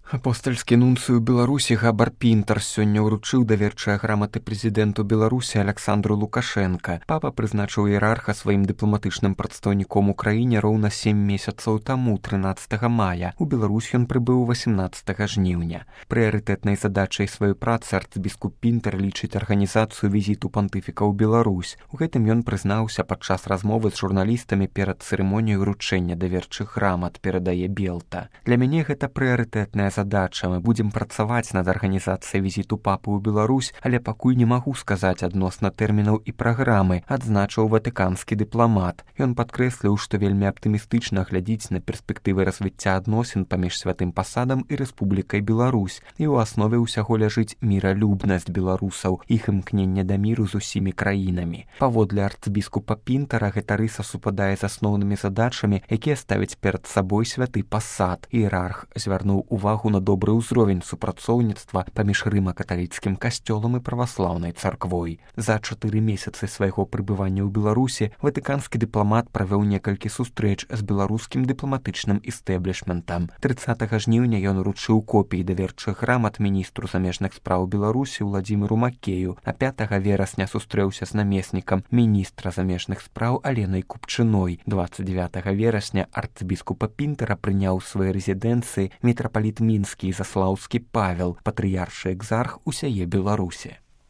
Апостальскі нунцыю Беларусі Габар Пінтар сёння ўручыў даверчыя граматы прэзідэнту Беларусі Аляксандру Лукашенка. Папа прызначыў іерарха сваім дыпламатычным прадстаўніком у краіне роўна 7 месяцаў таму, 13 мая. У Беларусь ён прыбыў 18 жніўня. Прыярытэтнай задачай сваёй працы арцыбіскуп Пінтар лічыць арганізацыю візіту пантыфіка ў Беларусь. У гэтым ён прызнаўся падчас размовы з журналістамі перад цырымоніяй уручэння даверчых грамат, перадае Белта. Для мяне гэта прыярытэтная задача. Мы будзем працаваць над арганізацыяй візіту папы ў Беларусь, але пакуль не магу сказаць адносна тэрмінаў і праграмы, адзначыў ватыканскі дыпламат. Ён падкрэсліў, што вельмі аптымістычна глядзіць на перспектывы развіцця адносін паміж святым пасадам і Рэспублікай Беларусь, і ў аснове ўсяго ляжыць міралюбнасць беларусаў, іх імкненне да міру з усімі краінамі. Паводле арцыбіскупа Пінтара гэта рыса супадае з асноўнымі задачамі, якія ставіць перад сабой святы пасад. Іерарх звярнуў увагу на добры ўзровень супрацоўніцтва паміж рыма-каталіцкім касцёлам і праваслаўнай царквой. За 4 месяцы свайго прыбывання ў Беларусі ватыканскі дыпламат правёў некалькі сустрэч з беларускім дыпламатычным істэблішментам. 30 жніўня ён уручыў копіі даверчых грамат міністру замежных спраў Беларусі Уладзіміру Макею, а 5 верасня сустрэўся з намеснікам міністра замежных спраў Аленай Купчыной. 29 верасня арцыбіскупа Пінтара прыняў у сваёй рэзідэнцыі мітрапаліт Мінскі і Заслаўскі Павел, патрыяршы экзарх усяе Беларусі.